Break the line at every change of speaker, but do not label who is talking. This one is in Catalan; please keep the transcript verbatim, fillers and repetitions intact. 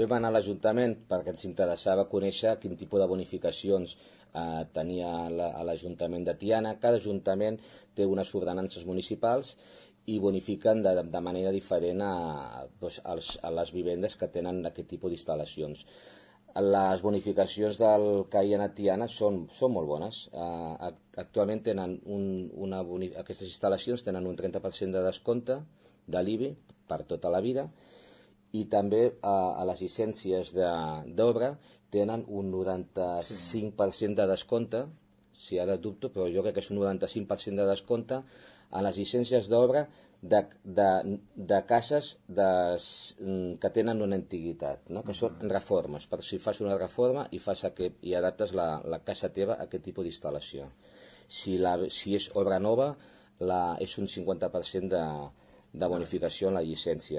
vam anar a l'Ajuntament perquè ens interessava conèixer quin tipus de bonificacions eh, tenia a l'Ajuntament de Tiana. Cada ajuntament té unes ordenances municipals i bonifiquen de, de manera diferent a, doncs, als, a les vivendes que tenen aquest tipus d'instal·lacions. Les bonificacions del que hi ha a Tiana són, són molt bones. Uh, actualment tenen un, una boni... aquestes instal·lacions tenen un trenta per cent de descompte de l'I B I per tota la vida, i també uh, a les llicències d'obra tenen un noranta-cinc per cent de descompte, si ara dubto, però jo crec que és un noranta-cinc per cent de descompte a les llicències d'obra de, de, de cases de, que tenen una antiguitat, no? Que són reformes, per si fas una reforma i, fas aquest, i adaptes la, la casa teva a aquest tipus d'instal·lació. Si, la, si és obra nova, la, és un cinquanta per cent de, de bonificació en la llicència.